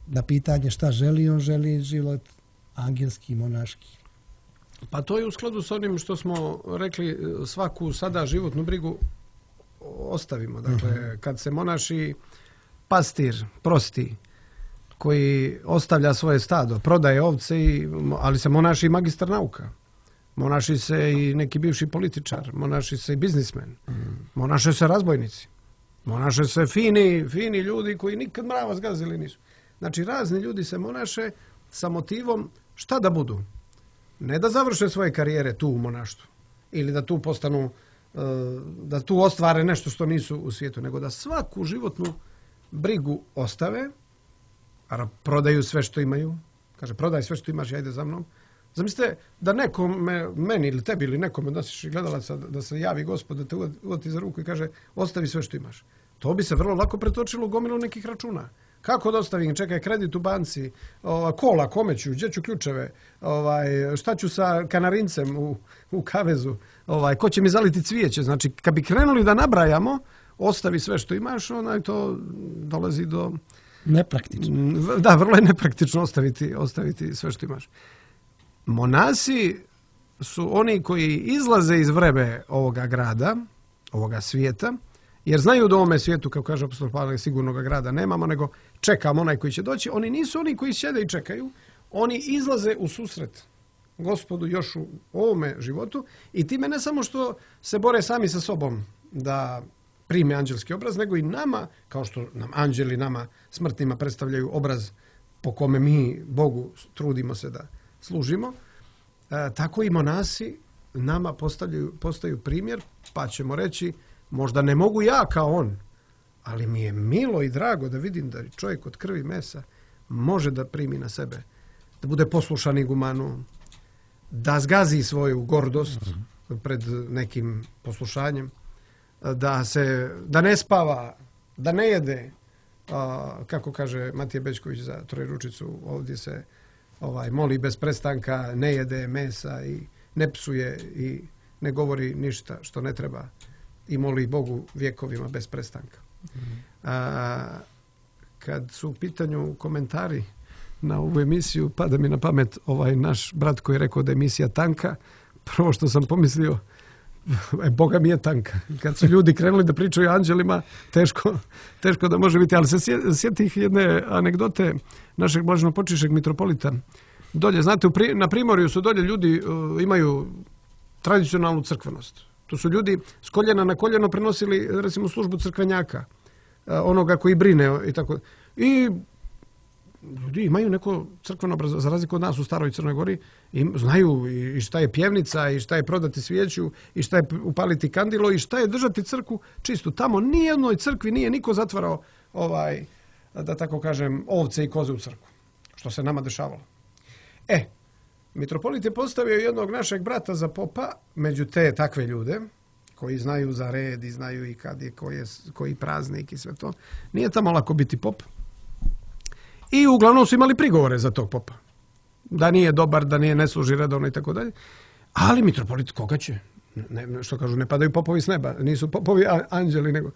na pitanje šta želi, on želi život angelski, monaški. Pa to je u skladu s onim što smo rekli, svaku sada životnu brigu ostavimo. Dakle, uh-huh. kad se monaši pastir, prosti, koji ostavlja svoje stado, prodaje ovce, i, ali se monaši i magistar nauka. Monaši se i neki bivši političar, monaši se i biznismen, uh-huh. monaše se razbojnici, monaše se fini, fini ljudi koji nikad mrava zgazili nisu. Znači, razni ljudi se monaše sa motivom šta da budu. Ne da završe svoje karijere tu u monaštvu ili da tu postanu, da tu ostvare nešto što nisu u svijetu, nego da svaku životnu brigu ostave, a prodaju sve što imaju. Kaže, prodaj sve što imaš i ajde za mnom. Zamislite da nekome, meni ili tebi ili nekom od nas gledalaca, da se javi Gospod, da te uvati za ruku i kaže, ostavi sve što imaš. To bi se vrlo lako pretočilo u gomilu nekih računa. Kako da ostavim? Čekaj, kredit u banci, ova, kola, kome ću, gdje ću ključeve, ovaj, šta ću sa kanarincem u, u kavezu, ovaj, ko će mi zaliti cvijeće. Znači, kad bi krenuli da nabrajamo, ostavi sve što imaš, onaj to dolazi do... Nepraktično. Da, vrlo je nepraktično ostaviti, ostaviti sve što imaš. Monasi su oni koji izlaze iz vrebe ovoga grada, ovoga svijeta, jer znaju da u ovome svijetu, kao kaže apostol Pavle, sigurnog grada nemamo, nego čekamo onaj koji će doći. Oni nisu oni koji sjede i čekaju, oni izlaze u susret Gospodu još u ovome životu i time ne samo što se bore sami sa sobom da prime anđelski obraz, nego i nama, kao što nam anđeli, nama smrtnima predstavljaju obraz po kome mi Bogu trudimo se da služimo, e, tako i monasi nama postavljaju, postaju primjer, pa ćemo reći, možda ne mogu ja kao on, ali mi je milo i drago da vidim da čovjek od krvi i mesa može da primi na sebe, da bude poslušan igumanu, da zgazi svoju gordost pred nekim poslušanjem, da se, da ne spava, da ne jede, a, kako kaže Matija Bećković za Trojeručicu, ovdje se ovaj, moli bez prestanka, ne jede mesa i ne psuje i ne govori ništa što ne treba i moli Bogu vjekovima bez prestanka. A, kad su u pitanju komentari na ovu emisiju, pada mi na pamet ovaj naš brat koji je rekao da je emisija tanka. Prvo što sam pomislio, e, Boga mi je tanka. Kad su ljudi krenuli da pričaju o anđelima, teško, teško da može biti. Ali se sjetih jedne anegdote našeg blaženopočivšeg mitropolita. Dolje, znate, u pri, na Primorju su dolje ljudi uh, imaju tradicionalnu crkvenost. To su ljudi s koljena na koljeno prenosili, recimo, službu crkvenjaka, uh, onoga koji brine i tako. I ljudi imaju neko crkveno obrazovanje, za razliku od nas u staroj Crnoj Gori, i znaju i šta je pjevnica, i šta je prodati svijeću, i šta je upaliti kandilo, i šta je držati crkvu čistu. Tamo nijednoj crkvi nije niko zatvarao, ovaj, da tako kažem, ovce i koze u crkvu, što se nama dešavalo. E, mitropolit je postavio jednog našeg brata za popa, među te takve ljude, koji znaju za red i znaju i kad je, koji, je, koji praznik i sve to. Nije tamo lako biti pop. I uglavnom su imali prigovore za tog popa. Da nije dobar, da nije ne služi redovno i tako dalje. Ali mitropolit koga će? Ne, što kažu, ne padaju popovi s neba. Nisu popovi anđeli, nego...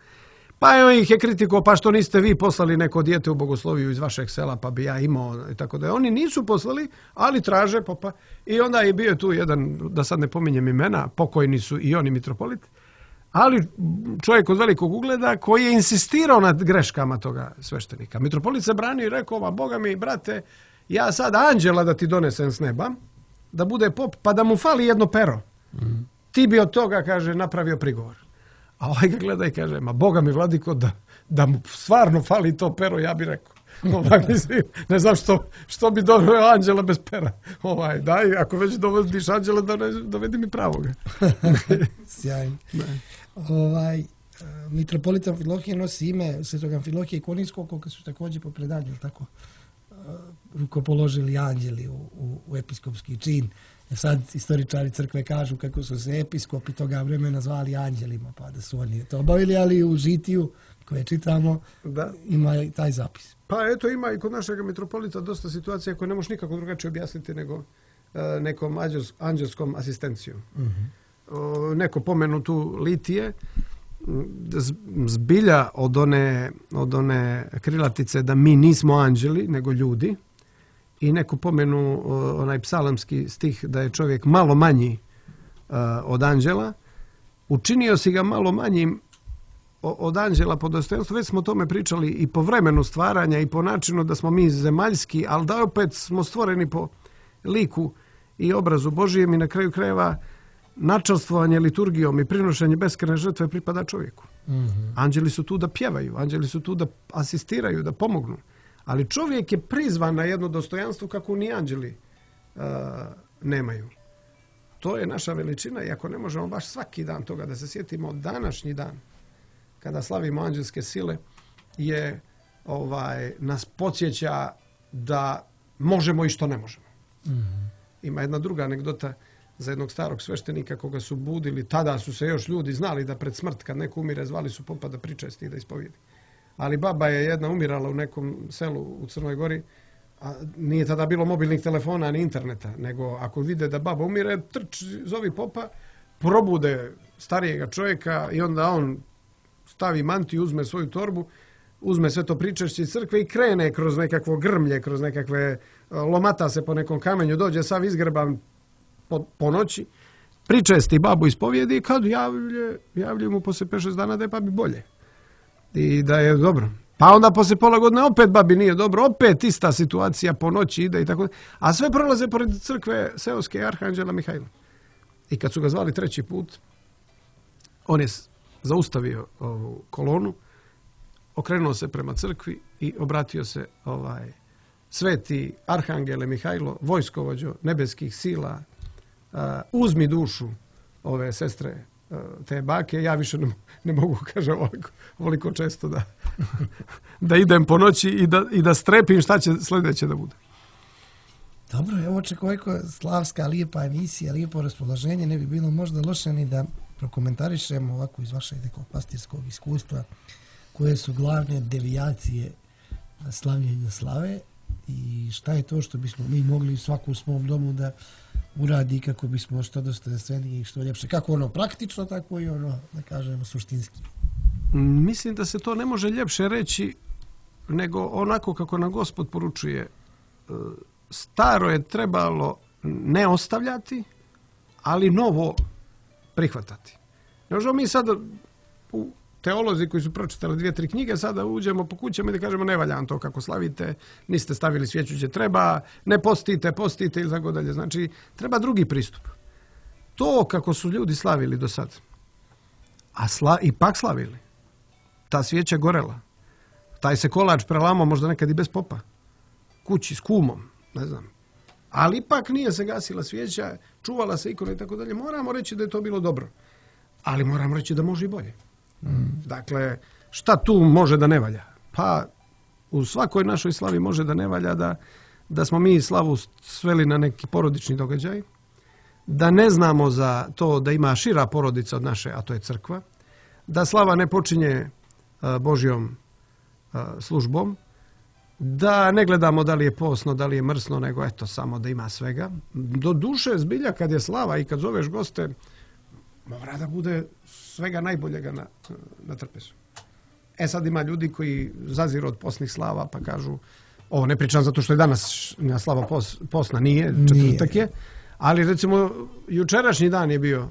Pa evo ih je kritiko, pa što niste vi poslali neko dijete u bogosloviju iz vašeg sela, pa bi ja imao, i tako da. Oni nisu poslali, ali traže, pa, pa. I onda je bio tu jedan, da sad ne pominjem imena, pokojni su i oni mitropolit, ali čovjek od velikog ugleda koji je insistirao nad greškama toga sveštenika. Mitropolit se branio i rekao, ma Boga mi, brate, ja sad anđela da ti donesem s neba, da bude pop, pa da mu fali jedno pero. Mm. Ti bi od toga, kaže, napravio prigovor. A ovaj ga gleda i kaže, ma Boga mi, vladiko, da, da mu stvarno fali to pero, ja bi rekao. Ovaj, mislim, ne znam što, što bi doveo anđela bez pera. Ovaj, daj, ako već dovodiš anđela, dovedi mi pravoga. Sjajno. Ovaj, mitropolit Amfilohije nosi ime svetog Amfilohije Koninskog, koga su također po predanju, tako, rukopoložili anđeli u, u, u episkopski čin. Sad istoričari crkve kažu kako su se episkopi toga vremena zvali anđelima, pa da su oni to obavili, ali u žitiju koje čitamo da. Ima i taj zapis. Pa eto, ima i kod našeg mitropolita dosta situacija koje ne možeš nikako drugačije objasniti nego uh, nekom anđels, anđelskom asistencijom. Uh-huh. Uh, neko pomenu tu litije, zbilja od one, od one krilatice da mi nismo anđeli, nego ljudi, i neko pomenu uh, onaj psalamski stih da je čovjek malo manji uh, od anđela, učinio si ga malo manjim od anđela po dostojanstvu. Već smo o tome pričali i po vremenu stvaranja i po načinu da smo mi zemaljski, ali da opet smo stvoreni po liku i obrazu Božijem i na kraju krajeva načastvovanje liturgijom i prinošenje beskrajne žrtve pripada čovjeku. Mm-hmm. Anđeli su tu da pjevaju, anđeli su tu da asistiraju, da pomognu. Ali čovjek je prizvan na jedno dostojanstvo kako ni anđeli uh, nemaju. To je naša veličina i ako ne možemo baš svaki dan toga da se sjetimo, današnji dan kada slavimo anđelske sile je ovaj nas podsjeća da možemo i što ne možemo. Mm-hmm. Ima jedna druga anegdota za jednog starog sveštenika koga su budili, tada su se još ljudi znali da pred smrt kad neko umire zvali su popa da pričesti i da ispovijedi. Ali baba je jedna umirala u nekom selu u Crnoj Gori, a nije tada bilo mobilnih telefona ni interneta, nego ako vide da baba umire, trč, zovi popa, probude starijega čovjeka i onda on stavi mantiju, uzme svoju torbu, uzme sve to pričešće iz crkve i krene kroz nekakvo grmlje, kroz nekakve, lomata se po nekom kamenju, dođe sav izgrban po, po noći, pričesti babu ispovijedi i kad javlje, javlje mu poslije pet šest dana da je babi bolje. I da je dobro. Pa onda poslije pola godine opet babi nije dobro, opet ista situacija po noći ide i tako. A sve prolaze pored crkve seoske arhanđela Mihajla. I kad su ga zvali treći put, on je zaustavio ovu kolonu, okrenuo se prema crkvi i obratio se ovaj sveti arhangele Mihajlo, vojskovođo nebeskih sila, uh, uzmi dušu ove sestre uh, te bake, ja više ne, ne mogu, kaže, ovoliko, ovoliko često da, da idem po noći i da, i da strepim šta će sljedeće da bude. Dobro, evo očekujeko slavska, lijepa emisija, lijepo raspoloženje, ne bi bilo možda loše ni da prokomentarišemo ovako iz vašeg nekog pastirskog iskustva koje su glavne devijacije slavljenja slave i šta je to što bismo mi mogli svaku u svom domu da uradi kako bismo što dostojanstvenije i što ljepše. Kako ono praktično, tako i ono, da kažemo, suštinski. Mislim da se to ne može ljepše reći nego onako kako nam Gospod poručuje. Staro je trebalo ne ostavljati, ali novo prihvatati. Ne možemo mi sad u teolozi koji su pročitali dvije, tri knjige, sada uđemo po kućama i da kažemo ne valja to kako slavite, niste stavili svijeću gdje treba, ne postite, postite ili tako dalje. Znači, treba drugi pristup. To kako su ljudi slavili do sad, a sla, ipak slavili, ta svijeća gorela, taj se kolač prelamao možda nekad i bez popa, kući s kumom, ne znam, ali ipak nije se gasila svijeća, čuvala se ikona i tako dalje. Moramo reći da je to bilo dobro, ali moramo reći da može i bolje. Mm. Dakle, šta tu može da ne valja? Pa u svakoj našoj slavi može da ne valja da, da smo mi slavu sveli na neki porodični događaj, da ne znamo za to da ima šira porodica od naše, a to je crkva, da slava ne počinje a, Božjom a, službom, da ne gledamo da li je posno, da li je mrsno, nego eto samo da ima svega. Do duše zbilja kad je slava i kad zoveš goste, mora da bude svega najboljega na, na trpezu. E sad ima ljudi koji zaziru od posnih slava pa kažu, ovo ne pričam zato što je danas slava pos, posna, nije, četvrtak je, ali recimo jučerašnji dan je bio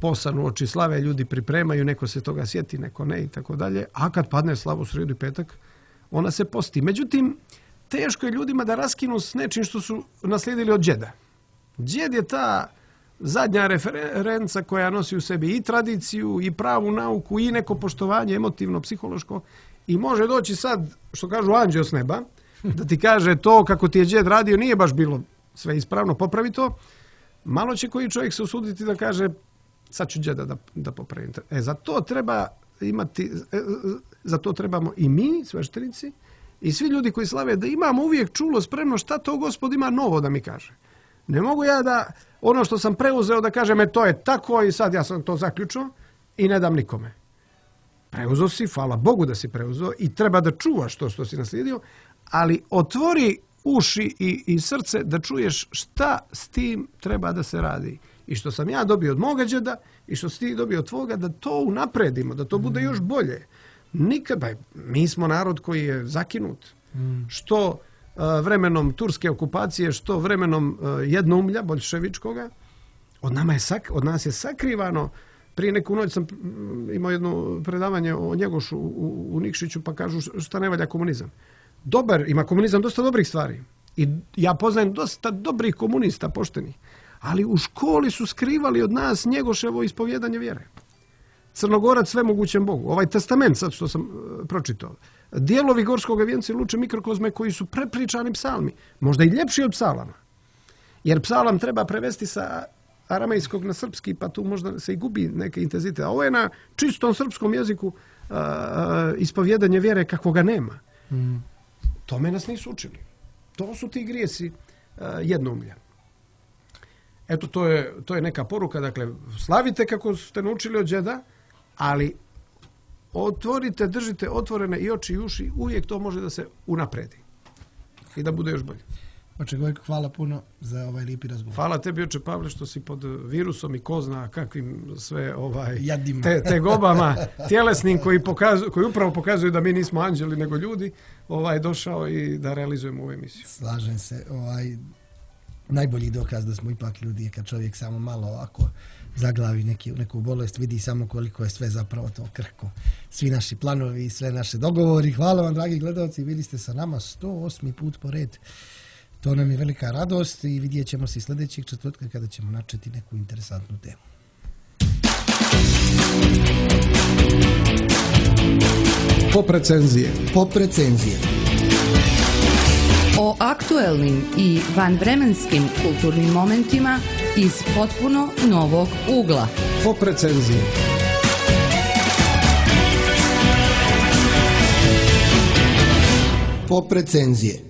posan u oči slave, ljudi pripremaju, neko se toga sjeti, neko ne i tako dalje, a kad padne slava u srijedu i petak, ona se posti. Međutim, teško je ljudima da raskinu s nečim što su naslijedili od džeda. Džed je ta zadnja referenca koja nosi u sebi i tradiciju, i pravu nauku, i neko poštovanje emotivno, psihološko, i može doći sad, što kažu anđeo s neba, da ti kaže to kako ti je džed radio nije baš bilo sve ispravno, popravi to. Malo će koji čovjek se usuditi da kaže sad ću džeda da, da popravim. E, za to treba imati, e, za to trebamo i mi, sveštenici, i svi ljudi koji slave, da imamo uvijek čulo spremno šta to Gospod ima novo da mi kaže. Ne mogu ja da ono što sam preuzeo da kažem, e to je tako i sad ja sam to zaključio i ne dam nikome. Preuzeo si, hvala Bogu da si preuzeo i treba da čuvaš to što si naslijedio, ali otvori uši i, i srce da čuješ šta s tim treba da se radi. I što sam ja dobio od moga džeda i što si ti dobio od tvoga, da to unapredimo, da to bude još bolje. Nikad, ba, mi smo narod koji je zakinut. Mm. Što uh, vremenom turske okupacije, što vremenom uh, jednoumlja boljševičkoga, od, nama je sak, od nas je sakrivano. Prije neku noć sam imao jedno predavanje o Njegošu u, u Nikšiću, pa kažu šta ne valja komunizam. Dobar, ima komunizam dosta dobrih stvari. I ja poznajem dosta dobrih komunista, poštenih. Ali u školi su skrivali od nas Njegoševo ispovjedanje vjere. Crnogorac svemogućem Bogu. Ovaj testament sad što sam uh, pročitao. Dijelovi Gorskog vijenca i Luče mikrokozme koji su prepričani psalmi. Možda i ljepši od psalama. Jer psalam treba prevesti sa aramejskog na srpski, pa tu možda se i gubi neke intenzitet. A ovo je na čistom srpskom jeziku uh, uh, ispovjedanje vjere kako ga nema. Mm. Tome nas nisu učili. To su ti grijesi uh, jednoumlja. Eto, to je, to je neka poruka. Dakle, slavite kako ste naučili od džeda, ali otvorite, držite otvorene i oči i uši, uvijek to može da se unapredi i da bude još bolje. Oče Gojko, hvala puno za ovaj lijepi razgovor. Hvala tebi, oče Pavle, što si pod virusom i ko zna kakvim sve ovaj, te, te gobama tjelesnim koji, pokazu, koji upravo pokazuju da mi nismo anđeli nego ljudi, ovaj, došao i da realizujemo ovu emisiju. Slažem se. Ovaj, najbolji dokaz da smo ipak ljudi je kad čovjek samo malo ovako zaglavi neki, neku bolest, vidi samo koliko je sve zapravo to krhko. Svi naši planovi i sve naše dogovori. Hvala vam, dragi gledalci, bili ste sa nama sto osmi put po red. To nam je velika radost i vidjet ćemo se sljedećeg četvrtka kada ćemo načeti neku interesantnu temu. Pop recenzije. Pop recenzije. O aktuelnim i vanvremenskim kulturnim momentima iz potpuno novog ugla. Pop recenzije. Pop recenzije.